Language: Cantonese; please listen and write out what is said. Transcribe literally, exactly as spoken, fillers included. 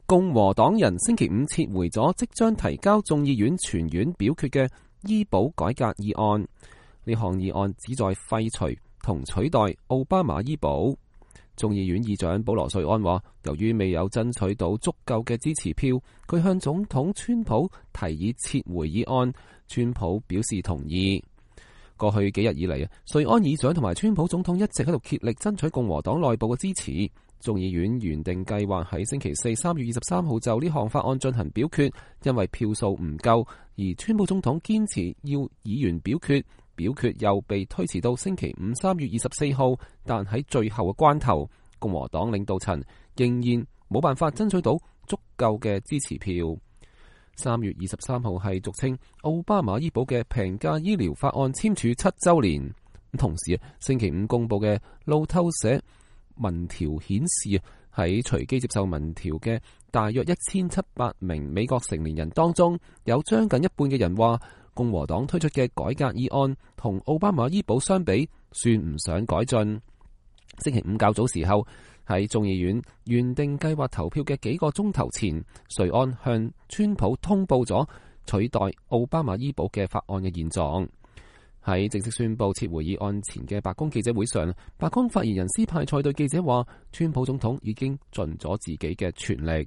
共和黨人星期五撤回咗即將提交眾議院全院表決嘅醫保改革議案。呢項議案旨在廢除同取代奧巴馬醫保。眾議院議長保羅瑞安話，由於未有爭取到足夠嘅支持票，佢向總統川普提議撤回議案。川普表示同意。過去幾日以嚟啊，瑞安議長同埋川普總統一直喺度竭力爭取共和黨內部嘅支持。眾議院原定計劃喺星期四三月二十三號就呢項法案進行表決，因為票數唔夠，而川普總統堅持要議員表決，表決又被推遲到星期五三月二十四號。但喺最後嘅關頭，共和黨領導層仍然冇辦法爭取到足夠嘅支持票。三月二十三號係俗稱奧巴馬醫保嘅平價醫療法案簽署七週年。同時啊，星期五公佈嘅路透社民調顯示啊，喺隨機接受民調嘅大約一千七百名美國成年人當中，有將近一半嘅人話共和黨推出嘅改革議案同奧巴馬醫保相比，算唔上改進。星期五較早時候，喺眾議院原定計劃投票嘅幾個鐘頭前，瑞安向川普通報咗取代奧巴馬醫保嘅法案嘅現狀。喺正式宣布撤回議案前嘅白宮記者會上，白宮發言人斯派塞對記者話，川普總統已經盡咗自己嘅全力。